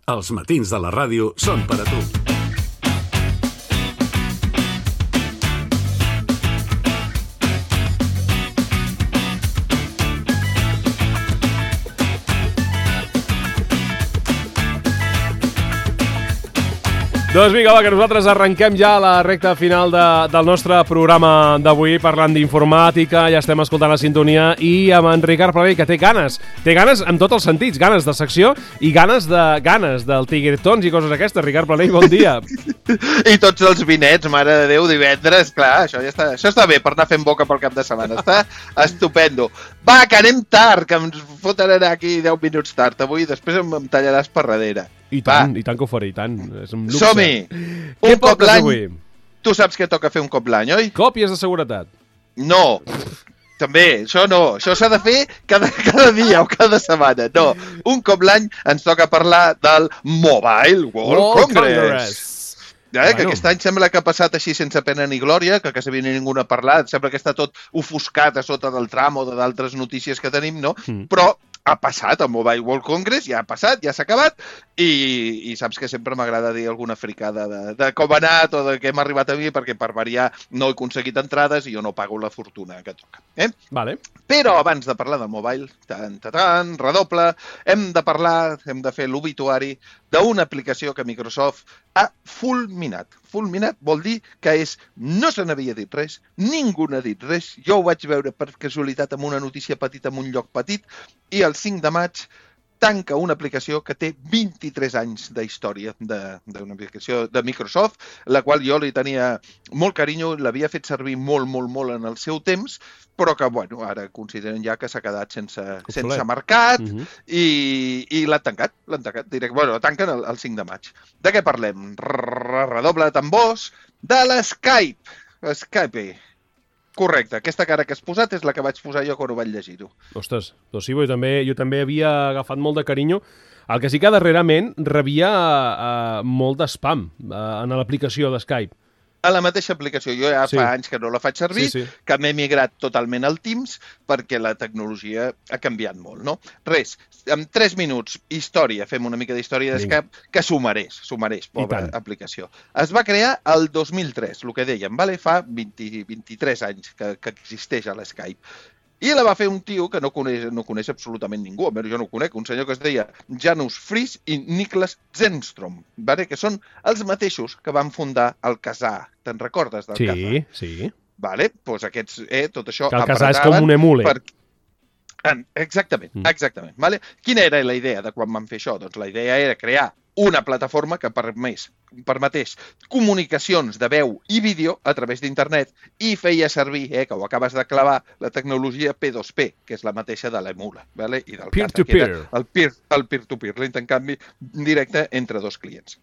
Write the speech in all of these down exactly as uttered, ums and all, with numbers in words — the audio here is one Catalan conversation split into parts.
Els matins de la ràdio són per a tu. Doncs vinga, va, que nosaltres arrenquem ja la recta final de, del nostre programa d'avui parlant d'informàtica, ja estem escoltant la sintonia i amb en Ricard Planell, que té ganes, té ganes en tots els sentits, ganes de secció i ganes de ganes del Tiguertons i coses aquestes. Ricard Planell, bon dia. I tots els vinets, mare de Déu, divendres, clar, això ja està, això està bé per anar fent boca pel cap de setmana, està estupendo. Va, que anem tard, que ens foten anar aquí deu minuts tard avui, després em, em tallaràs per darrere. I tant, va. I tant que ho faré, i tant. És un luxe. Som-hi! Un cop l'any... Tu saps que toca fer un cop l'any, oi? Còpies de seguretat. No, també, això no. Això s'ha de fer cada, cada dia o cada setmana. No, un cop l'any ens toca parlar del Mobile World, World Congress. Congress. Eh, bueno. Que aquest any sembla que ha passat així sense pena ni glòria, que quasi ningú n'ha parlat, sembla que està tot ofuscat a sota del tram o d'altres notícies que tenim, no? Mm. Però ha passat el Mobile World Congress, ja ha passat, ja s'ha acabat, i, i saps que sempre m'agrada dir alguna fricada de, de com ha anat o de què hem arribat a mi, perquè per variar no he aconseguit entrades i jo no pago la fortuna que toca. Eh? Vale. Però abans de parlar de Mobile, tan, tan, tan, redoble, hem de parlar, hem de fer l'obituari d'una aplicació que Microsoft ha fulminat. Fulminat vol dir que és, no se n'havia dit res, ningú n'ha dit res. Jo ho vaig veure per casualitat amb una notícia petita en un lloc petit i el cinc de maig tanca una aplicació que té vint-i-tres anys de història d'una aplicació de Microsoft, la qual jo li tenia molt carinyo, l'havia fet servir molt, molt, molt en el seu temps, però que, bueno, ara consideren ja que s'ha quedat sense, sense mercat uh-huh. i, i l'han tancat, l'han tancat direct. Bueno, la tanquen el, el cinc de maig. De què parlem? Redoble de tambors de l'Skype. Skype. Correcte, aquesta cara que has posat és la que vaig posar jo quan ho vaig llegir-ho. Ostres, doncs sí, jo també, jo també havia agafat molt de carinyo. El que sí que darrerament rebia uh, molt d'espam uh, en l'aplicació d'Skype. A la mateixa aplicació. Jo ja sí. fa anys que no la faig servir, sí, sí. que m'he migrat totalment al Teams perquè la tecnologia ha canviat molt, no? Res, en tres minuts, història, fem una mica d'història d'Skype, que s'ho mereix, s'ho mereix, pobra aplicació. Es va crear el dos mil tres, el que dèiem, vale? Fa vint, vint-i-tres anys que, que existeix a l'Skype. I la va fer un tio que no coneix, no coneix absolutament ningú, almenys jo no ho conec, un senyor que es deia Janus Fries i Niklas Zenström, vale? Que són els mateixos que van fundar el Kazaa. Te'n recordes del sí, Kazaa? Sí, sí. Vale? Doncs aquests, eh, tot això... Que el Kazaa és com un emule. Per... Exactament, mm. exactament. Vale? Quina era la idea de quan van fer això? Doncs la idea era crear una plataforma que permés, permetés comunicacions de veu i vídeo a través d'internet i feia servir, eh, que ho acabes de clavar, la tecnologia P dos P, que és la mateixa de l'emula, ¿vale? I del peer-to-peer. El peer, el peer-to-peer, l'intercanvi directe entre dos clients.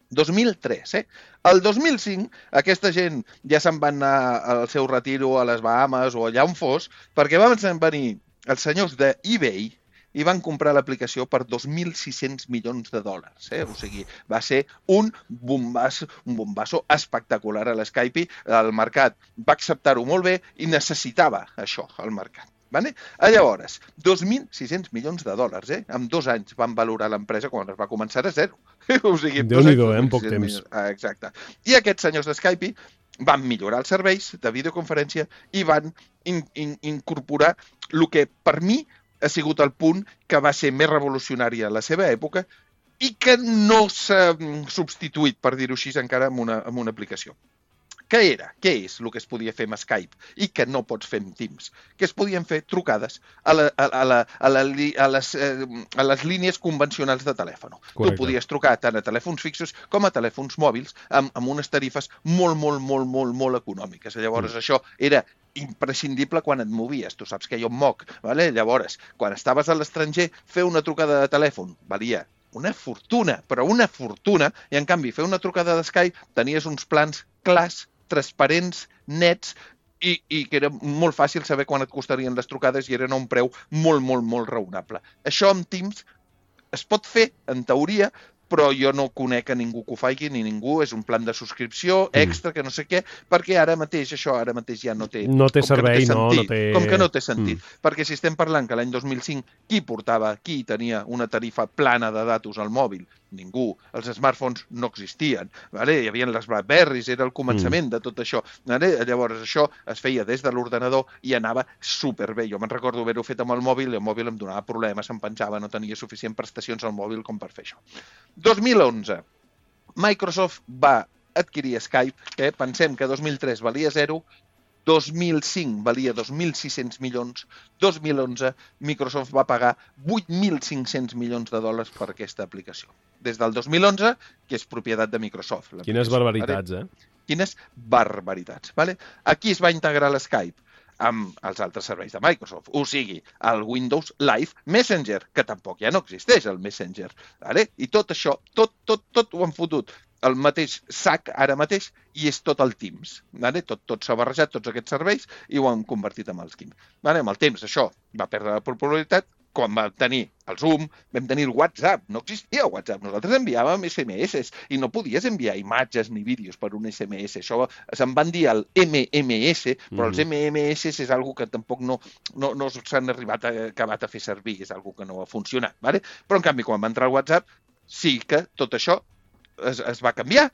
dos mil tres, eh? El dos mil cinc, aquesta gent ja se'n van anar al seu retiro a les Bahamas o allà on fos, perquè van venir els senyors d'eBay i van comprar l'aplicació per dos mil sis-cents milions de dòlars. Eh? O sigui, va ser un bombasso, un bombasso espectacular a l'Skype. El mercat va acceptar-ho molt bé i necessitava això, el mercat. Vale? Llavors, dos mil sis-cents milions de dòlars, eh? En dos anys van valorar l'empresa quan es va començar a zero. O sigui, Déu-n'hi-do, eh? En poc temps. Exacte. I aquests senyors d'Skype van millorar els serveis de videoconferència i van in in incorporar el que per mi ha sigut el punt que va ser més revolucionari a la seva època i que no s'ha substituït, per dir-ho així, encara amb una, amb una aplicació. Què era? Què és el que es podia fer amb Skype i que no pots fer amb Teams? Que es podien fer trucades a, la, a, la, a, la, a, les, a les línies convencionals de telèfon. Tu podies trucar tant a telèfons fixos com a telèfons mòbils amb, amb unes tarifes molt, molt, molt, molt, molt econòmiques. Llavors, mm. això era imprescindible quan et movies. Tu saps que jo em moc. Vale? Llavors, quan estaves a l'estranger, fer una trucada de telèfon valia una fortuna, però una fortuna, i en canvi fer una trucada d'Skype tenies uns plans clars, transparents, nets, i, i que era molt fàcil saber quan et costarien les trucades i eren a un preu molt, molt, molt raonable. Això amb Teams es pot fer, en teoria, però jo no conec a ningú que ho faci, ni ningú, és un plan de subscripció extra, que no sé què, perquè ara mateix, això ara mateix ja no té... No té servei, no, no té... Com que no té sentit. Mm. Perquè si estem parlant que l'any dos mil cinc qui portava, qui tenia una tarifa plana de datos al mòbil? Ningú. Els smartphones no existien. Vale? Hi havia les Blackberries, era el començament mm. de tot això. Vale? Llavors això es feia des de l'ordenador i anava superbé. Jo me'n recordo haver-ho fet amb el mòbil i el mòbil em donava problemes, em penjava, no tenia suficient prestacions al mòbil com per fer això. dos mil onze, Microsoft va adquirir Skype, que pensem que dos mil tres valia zero, dos mil cinc valia dos mil sis-cents milions, dos mil onze Microsoft va pagar vuit mil cinc-cents milions de dòlars per aquesta aplicació. Des del dos mil onze, que és propietat de Microsoft. Quines barbaritats, eh? Quines barbaritats. Vale? Aquí es va integrar l'Skype amb els altres serveis de Microsoft, o sigui, el Windows Live Messenger, que tampoc ja no existeix, el Messenger. Vale? I tot això, tot, tot, tot ho han fotut el mateix sac ara mateix i és tot el Teams. Vale? Tot, tot s'ha barrejat, tots aquests serveis, i ho han convertit en els Teams. Vale? Amb el temps això va perdre la popularitat. Quan vam tenir el Zoom, vam tenir el WhatsApp. No existia el WhatsApp. Nosaltres enviàvem esse eme esse i no podies enviar imatges ni vídeos per un esse eme esse. Això se'n van dir el eme eme esse, però els eme eme esse és algo que tampoc no, no, no s'han arribat a, acabat a fer servir, és algo que no ha funcionat. Vale? Però, en canvi, quan va entrar el WhatsApp, sí que tot això es, es va canviar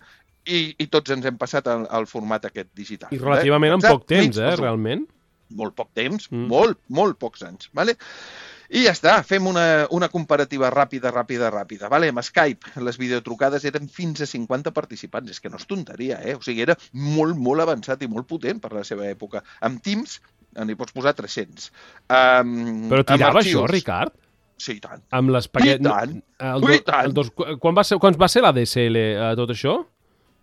i, i tots ens hem passat al, al format aquest digital. I relativament en poc temps, eh, realment? Molt poc temps, mm. molt, molt pocs anys. Vale? I ja està, fem una, una comparativa ràpida, ràpida, ràpida. Vale? Amb Skype, les videotrucades eren fins a cinquanta participants. És que no és tonteria, eh? O sigui, era molt, molt avançat i molt potent per la seva època. Amb Teams, n'hi pots posar tres-cents. Um, Però tirava això, Ricard? Sí, i tant. Amb les paquet... I tant, el do... i tant. El dos... quan, va ser... quan va ser la de ese ele, uh, tot això?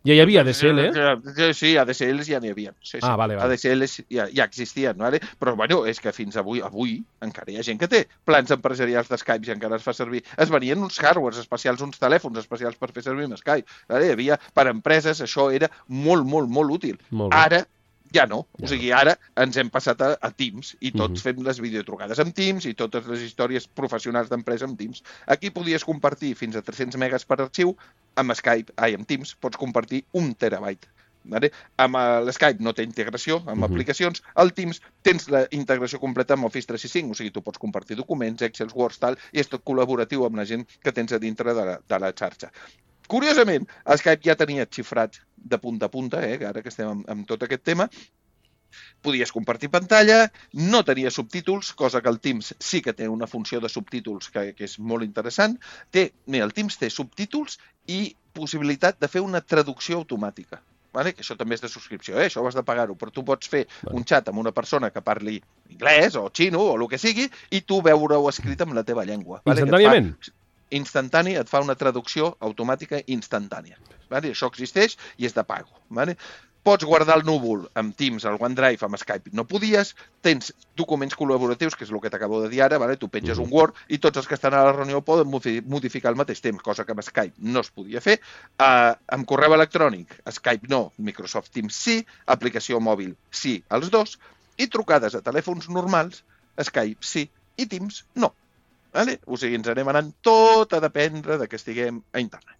Ja hi havia A D S L, eh? Sí, A D S Ls ja n'hi havia. Sí, sí. Ah, vale, vale. A D S Ls ja, ja existien, vale? Però bueno, és que fins avui avui encara hi ha gent que té plans empresarials d'Skype i encara es fa servir. Es venien uns hardwares especials, uns telèfons especials per fer servir amb Skype. Vale? Hi havia, per empreses, això era molt, molt, molt útil. Molt bé. Ara ja no. O sigui, ara ens hem passat a, a Teams i tots uh-huh. fem les videotrucades amb Teams i totes les històries professionals d'empresa amb Teams. Aquí podies compartir fins a tres-cents megas per arxiu, amb Skype, ai, amb Teams pots compartir un terabyte. Vale? Amb l'Skype no té integració amb uh-huh. aplicacions, al Teams tens la integració completa amb Office tres seixanta-cinc, o sigui, tu pots compartir documents, Excel, Word, tal, i és tot col·laboratiu amb la gent que tens a dintre de la, de la xarxa. Curiosament, Skype ja tenia xifrats de punta a punta, eh, ara que estem amb, amb tot aquest tema. Podies compartir pantalla, no tenia subtítols, cosa que el Teams sí que té una funció de subtítols que, que és molt interessant. Té, mira, el Teams té subtítols i possibilitat de fer una traducció automàtica. Vale? Que això també és de subscripció, eh? Això has de pagar-ho, però tu pots fer vale. un xat amb una persona que parli anglès o xino o el que sigui i tu veure-ho escrit amb la teva llengua. Vale? Instantàniament? Instantani, et fa una traducció automàtica instantània. Vale? Això existeix i és de pago. Vale? Pots guardar el núvol amb Teams, el OneDrive, amb Skype no podies, tens documents col·laboratius, que és el que t'acabo de dir ara, vale? Tu penges un Word i tots els que estan a la reunió poden modificar al mateix temps, cosa que amb Skype no es podia fer. Uh, amb correu electrònic, Skype no, Microsoft Teams sí, aplicació mòbil sí, els dos, i trucades a telèfons normals, Skype sí i Teams no. Vale? O sigui, ens anem anant tot a dependre de que estiguem a internet.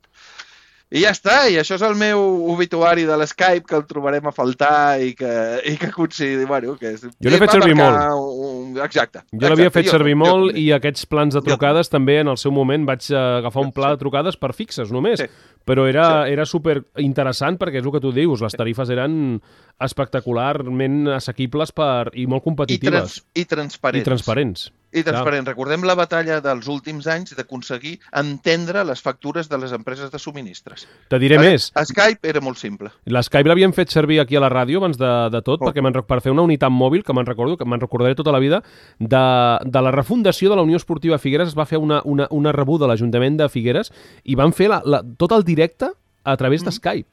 I ja està, i això és el meu obituari de l'Skype, que el trobarem a faltar i que, i que consideri, bueno, que és... Jo l'he fet servir molt. Un... Exacte. Jo l'havia fet servir jo, molt jo, i aquests plans de trucades jo. també en el seu moment vaig agafar un pla de trucades per fixes només, sí. però era, sí. era super interessant perquè és el que tu dius, les tarifes eren espectacularment assequibles per, i molt competitives. I, trans, i transparents. I transparents. I transparent. Clar. Recordem la batalla dels últims anys d'aconseguir entendre les factures de les empreses de subministres. Te diré Vale? més. Skype era molt simple. L'Skype l'havien fet servir aquí a la ràdio abans de, de tot, oh. perquè per fer una unitat mòbil, que me'n recordo, que me'n recordaré tota la vida, de, de la refundació de la Unió Esportiva Figueres es va fer una, una, una rebuda a l'Ajuntament de Figueres i van fer la, la, tot el directe a través de Skype.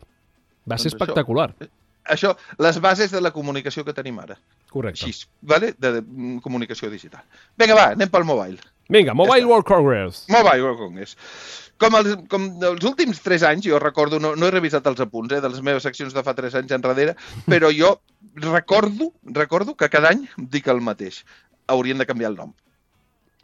Va ser doncs espectacular. Això, això, les bases de la comunicació que tenim ara. Correcte. Així, vale? de, de, de comunicació digital. Vinga, va, anem pel mobile. Vinga, Mobile World Congress. Mobile World Congress. Com els, com els últims tres anys, jo recordo, no, no he revisat els apunts eh, de les meves seccions de fa tres anys enrere, però jo recordo, recordo que cada any dic el mateix. Haurien de canviar el nom.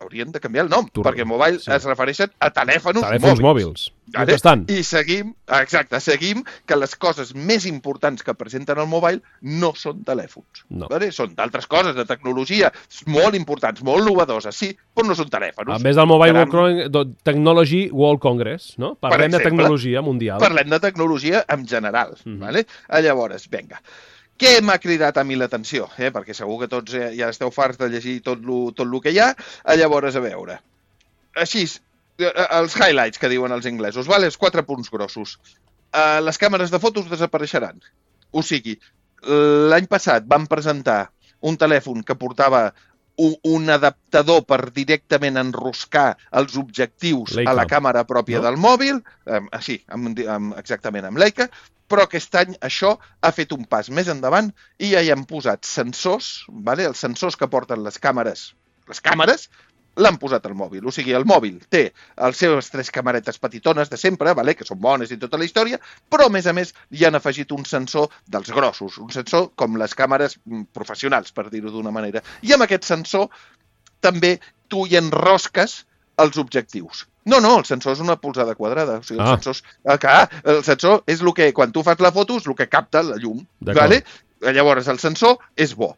haurien de canviar el nom, Tur... perquè mobile sí. es refereixen a telèfons, telèfons mòbils. Vale? Estan. I seguim, exacte, seguim que les coses més importants que presenten el mobile no són telèfons. No. Vale? Són d'altres coses, de tecnologia, molt importants, molt novedoses, sí, però no són telèfons. A més del Mobile Caram... World Technology World Congress, no? Parlem per exemple, de tecnologia mundial. Parlem de tecnologia en general. Mm-hmm. Vale? Llavors, vinga. Què m'ha cridat a mi l'atenció? Eh? Perquè segur que tots ja esteu farts de llegir tot lo, tot lo que hi ha. Llavors, a veure, així, els highlights que diuen els inglesos, vale? Els quatre punts grossos. Uh, les càmeres de fotos desapareixeran. O sigui, l'any passat van presentar un telèfon que portava un, un adaptador per directament enroscar els objectius Leica. A la càmera pròpia no? del mòbil, um, sí, amb, amb, exactament amb Leica, però aquest any això ha fet un pas més endavant i ja hi han posat sensors, vale? Els sensors que porten les càmeres, les càmeres l'han posat al mòbil. O sigui, el mòbil té les seves tres camaretes petitones de sempre, vale? Que són bones i tota la història, però a més a més hi han afegit un sensor dels grossos, un sensor com les càmeres professionals, per dir-ho d'una manera. I amb aquest sensor també tu hi enrosques els objectius. No, no, el sensor és una polzada quadrada. O sigui, el, ah. sensor, el, el sensor és el que, quan tu fas la foto, és el que capta la llum. Vale? Llavors, el sensor és bo.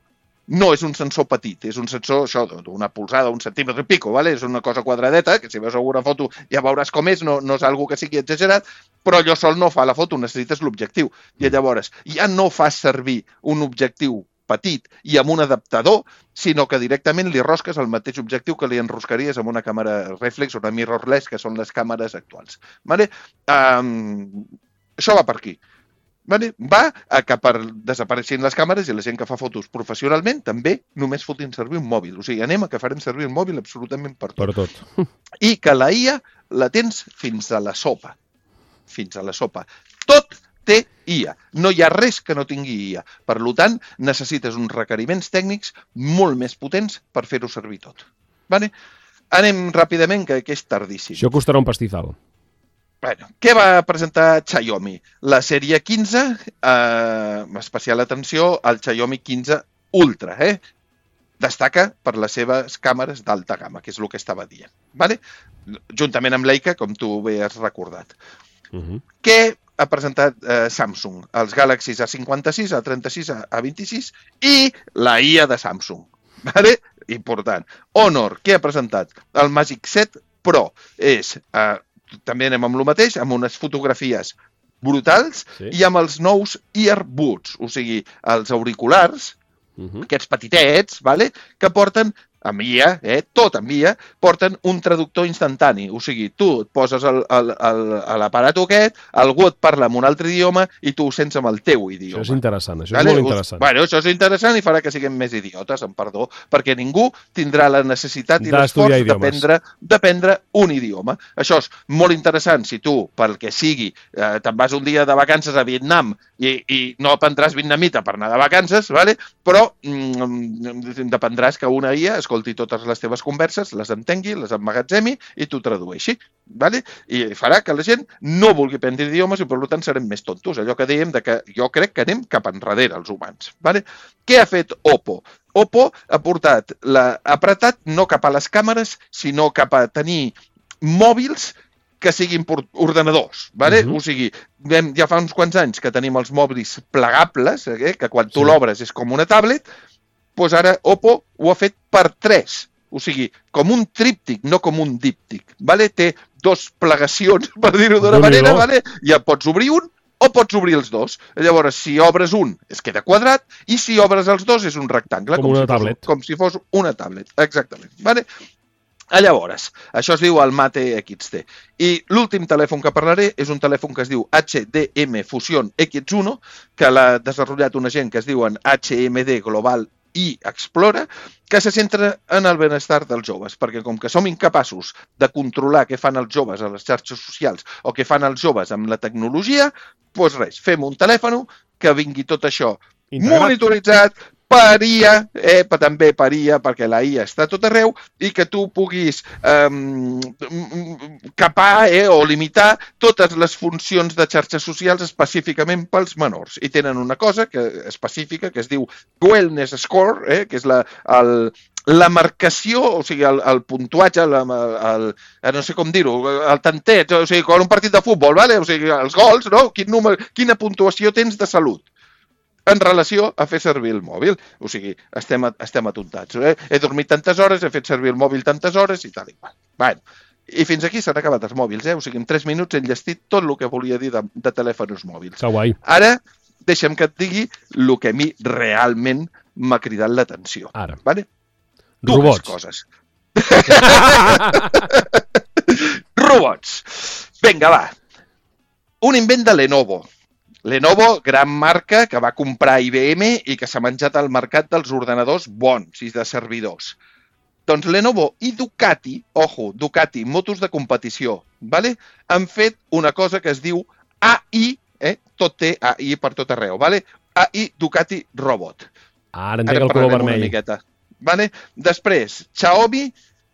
No és un sensor petit, és un sensor això d'una polzada, un centímetre i pico, vale? És una cosa quadradeta, que si veus alguna foto ja veuràs com és, no, no és algo que sigui exagerat, però allò sol no fa la foto, necessites l'objectiu. I llavors, ja no fas servir un objectiu petit i amb un adaptador, sinó que directament li rosques el mateix objectiu que li enroscaries amb una càmera reflex o una mirrorless, que són les càmeres actuals. Vale? Um, això va per aquí. Vale? Va a que per desapareixin les càmeres i la gent que fa fotos professionalment també només fotin servir un mòbil. O sigui, anem a que farem servir un mòbil absolutament per tot. Per tot. I que la I A la tens fins a la sopa. Fins a la sopa. Tot té I A. No hi ha res que no tingui I A. Per tant, necessites uns requeriments tècnics molt més potents per fer-ho servir tot. Vale? Anem ràpidament, que, que és tardíssim. Això costarà un pastizal. Bueno, què va presentar Xiaomi? La sèrie quinze, eh, especial atenció al Xiaomi quinze Ultra. Eh? Destaca per les seves càmeres d'alta gamma, que és el que estava dient. Vale? Juntament amb Leica, com tu bé has recordat. Uh-huh. Què ha presentat eh, Samsung? Els Galaxy A cinquanta-sis, A trenta-sis, A vint-i-sis i la I A de Samsung. Vale? Important. Honor, què ha presentat? El Magic set Pro. És... Eh, també anem amb el mateix, amb unes fotografies brutals sí. I amb els nous earbuds, o sigui, els auriculars, uh-huh. aquests petitets, vale? Que porten amb I A, eh? Tot amb I A, porten un traductor instantani. O sigui, tu et poses el, el, el, l'aparat aquest, algú et parla en un altre idioma i tu ho sents amb el teu idioma. Això és interessant, això vale? És molt interessant. Bueno, això és interessant i farà que siguem més idiotes, amb perdó, perquè ningú tindrà la necessitat i l'esforç d'aprendre, d'aprendre un idioma. Això és molt interessant si tu, pel que sigui, eh, te'n vas un dia de vacances a Vietnam i, i no aprendràs vietnamita per anar de vacances, vale? Però mm, dependràs que una I A escolti totes les teves converses, les entengui, les emmagatzemi i t'ho tradueixi. Vale? I farà que la gent no vulgui aprendre idiomes i per tant serem més tontos. Allò que dèiem de que jo crec que anem cap enrere els humans. Vale? Què ha fet Oppo? Oppo ha portat, la, ha apretat no cap a les càmeres, sinó cap a tenir mòbils que siguin ordenadors, vale? Uh-huh. O sigui, ja fa uns quants anys que tenim els mòbils plegables, eh? Que quan tu sí. l'obres és com una tablet, doncs ara Oppo ho ha fet per tres. O sigui, com un tríptic, no com un díptic. Vale? Té dos plegacions, per dir-ho d'una manera, vale? Ja pots obrir un o pots obrir els dos. Llavors, si obres un, es queda quadrat, i si obres els dos, és un rectangle. Com, com una si tablet. Fos, com si fos una tablet, exactament. Vale? Llavors, això es diu el Mate X T. I l'últim telèfon que parlaré és un telèfon que es diu H D M Fusion X uno, que l'ha desenvolupat una gent que es diuen H M D Global i Explora, que se centra en el benestar dels joves, perquè com que som incapaços de controlar què fan els joves a les xarxes socials o què fan els joves amb la tecnologia, doncs res, fem un telèfon que vingui tot això integrat, monitoritzat, per I A, eh, també per I A, perquè la I A està tot arreu, i que tu puguis eh, capar eh, o limitar totes les funcions de xarxes socials específicament pels menors. I tenen una cosa que, específica que es diu Wellness Score, eh, que és la, el, la marcació, o sigui, el, el puntuatge, el, el, el, no sé com dir-ho, el tantet, o sigui, com un partit de futbol, vale? O sigui, els gols, no? Quin número, quina puntuació tens de salut en relació a fer servir el mòbil. O sigui, estem, estem atontats. Eh? He dormit tantes hores, he fet servir el mòbil tantes hores i tal i qual. Bueno, i fins aquí s'han acabat els mòbils. Eh? O sigui, en tres minuts he enllestit tot el que volia dir de, de telèfons mòbils. Que guai. Ara, deixa'm que et digui el que a mi realment m'ha cridat l'atenció. Ara. Vale? Robots. Dues coses. Robots. Vinga, va. Un invent de Lenovo. Lenovo, gran marca que va comprar I B M i que s'ha menjat al mercat dels ordenadors bons i de servidors. Doncs Lenovo i Ducati, ojo, Ducati, motos de competició, vale? Han fet una cosa que es diu A I, eh? Tot té A I per tot arreu, vale? A I Ducati Robot. Ara entenc el color vermell. Vale? Després, Xiaomi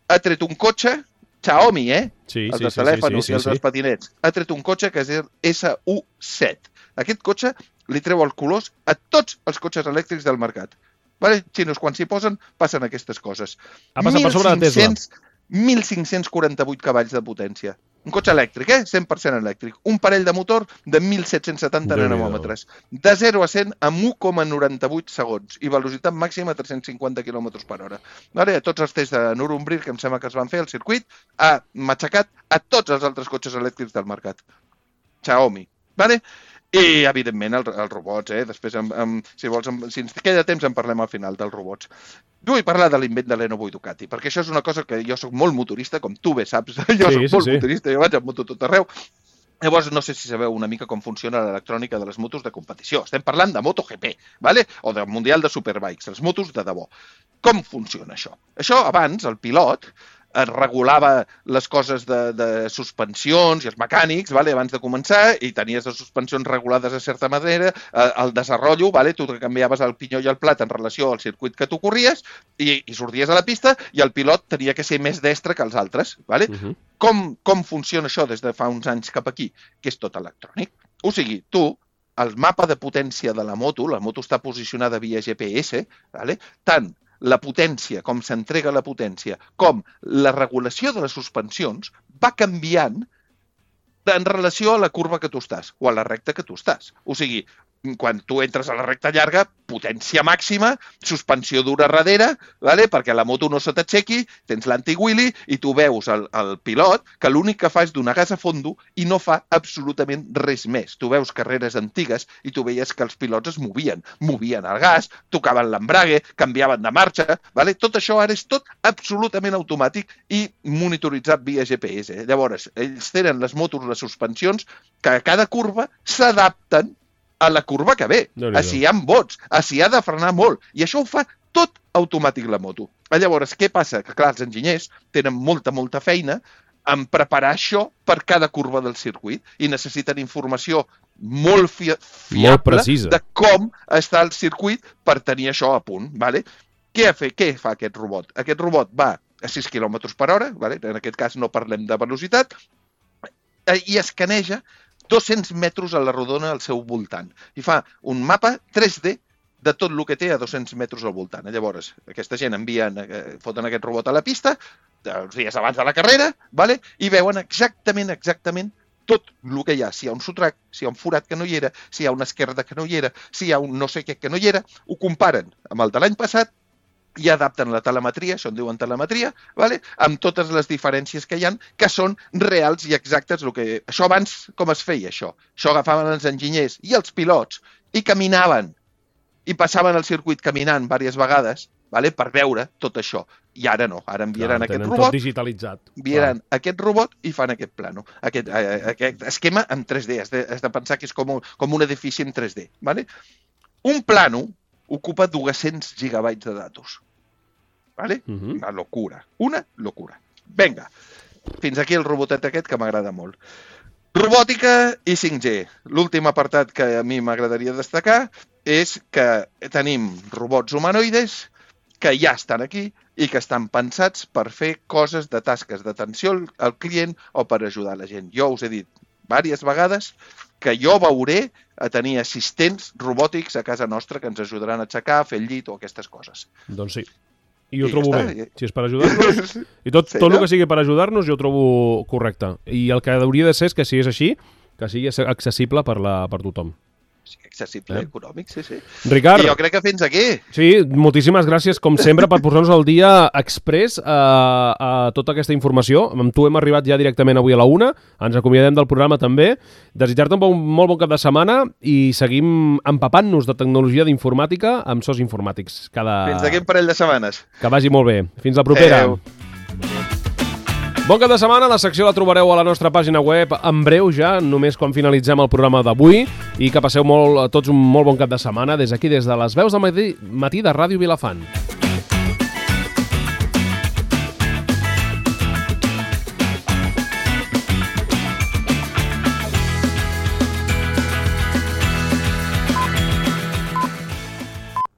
ha tret un cotxe, Xiaomi, eh? Sí, els sí, de telèfons sí, sí, sí, i els sí. dels patinets. Ha tret un cotxe que és el S U set. Aquest cotxe li treu els colors a tots els cotxes elèctrics del mercat. Vale? Xinos, quan s'hi posen, passen aquestes coses. Ha passat per sobre de Tesla. mil cinc-cents quaranta-vuit cavalls de potència. Un cotxe elèctric, eh? cent per cent elèctric. Un parell de motor de mil set-cents setanta nanomètres. De zero a cent amb u coma noranta-vuit segons i velocitat màxima tres-cents cinquanta quilòmetres per hora. Vale? Tots els tests de Nürburgring, que em sembla que es van fer al circuit, ha matxacat a tots els altres cotxes elèctrics del mercat. Xiaomi. Vale? I, evidentment, els, els robots, eh? Després, amb, amb, si vols, amb, si ens queda temps, en parlem al final dels robots. Vull parlar de l'invent de Lenovo i Ducati, perquè això és una cosa que jo soc molt motorista, com tu bé saps, jo sí, soc sí, molt sí. motorista, jo vaig amb moto tot arreu. Llavors, no sé si sabeu una mica com funciona l'electrònica de les motos de competició. Estem parlant de MotoGP, ¿vale? O del Mundial de Superbikes, les motos de debò. Com funciona això? Això, abans, el pilot es regulava les coses de, de suspensions i els mecànics, vale, abans de començar, i tenies les suspensions regulades de certa manera, eh, el desenrotllo, vale, tu canviaves el pinyó i el plat en relació al circuit que tu corries, i, i sorties a la pista, i el pilot tenia que ser més destre que els altres. Vale? Uh-huh. Com, com funciona això des de fa uns anys cap aquí? Que és tot electrònic. O sigui, tu, el mapa de potència de la moto, la moto està posicionada via G P S, vale? Tant la potència, com s'entrega la potència, com la regulació de les suspensions, va canviant en relació a la curva que tu estàs, o a la recta que tu estàs. O sigui, quan tu entres a la recta llarga, potència màxima, suspensió dura darrere, vale? Perquè la moto no se t'aixequi, tens l'anti-wheelie i tu veus el, el pilot que l'únic que fa és donar gas a fondo i no fa absolutament res més. Tu veus carreres antigues i tu veies que els pilots es movien. Movien el gas, tocaven l'embrague, canviaven de marxa, vale? Tot això ara és tot absolutament automàtic i monitoritzat via G P S. Llavors, ells tenen les motos, les suspensions, que a cada curva s'adapten a la curva que ve, a si hi ha bots, a si ha de frenar molt. I això ho fa tot automàtic la moto. Llavors, què passa? Que, clar, els enginyers tenen molta, molta feina en preparar això per cada curva del circuit i necessiten informació molt fi fiable molt de com està el circuit per tenir això a punt. Vale? Què, fa, què fa aquest robot? Aquest robot va a sis quilòmetres per hora, vale? En aquest cas no parlem de velocitat, i escaneja dos-cents metres a la rodona al seu voltant. I fa un mapa tres D de tot el que té a dos-cents metres al voltant. Llavors, aquesta gent envien, foten aquest robot a la pista, els dies abans de la carrera, vale? I veuen exactament, exactament tot el que hi ha. Si hi ha un sotrac, si hi ha un forat que no hi era, si hi ha una esquerda que no hi era, si hi ha un no sé què que no hi era, ho comparen amb el de l'any passat i adapten la telemetria, això en diuen telemetria, vale? Amb totes les diferències que hi ha, que són reals i exactes. El que... Això abans com es feia, això? Això agafaven els enginyers i els pilots i caminaven, i passaven el circuit caminant diverses vegades, vale? Per veure tot això. I ara no, ara enviaran Clar, aquest tot robot, digitalitzat. enviaran Clar. aquest robot i fan aquest plano, aquest, eh, aquest esquema en tres D. Has de, has de pensar que és com un, com un edifici en tres D. Vale? Un plano ocupa dos-cents gigabytes de datos. Vale? Uh-huh. Una locura. Una locura. Vinga, fins aquí el robotet aquest que m'agrada molt. Robòtica i cinc G. L'últim apartat que a mi m'agradaria destacar és que tenim robots humanoides que ja estan aquí i que estan pensats per fer coses de tasques d'atenció al client o per ajudar la gent. Jo us he dit diverses vegades que jo veuré a tenir assistents robòtics a casa nostra que ens ajudaran a aixecar, a fer el llit o aquestes coses. Doncs sí. I ho I trobo ja bé. està. Si és per ajudar-nos, i tot, Sí, tot el no? que sigui per ajudar-nos jo ho trobo correcte. I el que hauria de ser és que si és així, que sigui accessible per, la, per tothom. Sí, accessible, Eh? econòmic, sí, sí. Ricard, I jo crec que fins aquí. sí, moltíssimes gràcies, com sempre, per posar-nos al dia express a, a tota aquesta informació. Amb tu hem arribat ja directament avui a la una, ens acomiadem del programa també. Desitjar-te un bon, molt bon cap de setmana i seguim empapant-nos de tecnologia d'informàtica amb sos informàtics. Cada... Fins d'aquí un parell de setmanes. Que vagi molt bé. Fins la propera. Adéu. Bon cap de setmana, la secció la trobareu a la nostra pàgina web en breu ja, només quan finalitzem el programa d'avui, i que passeu molt, tots un molt bon cap de setmana des d'aquí, des de les veus del matí, matí de Ràdio Vilafant.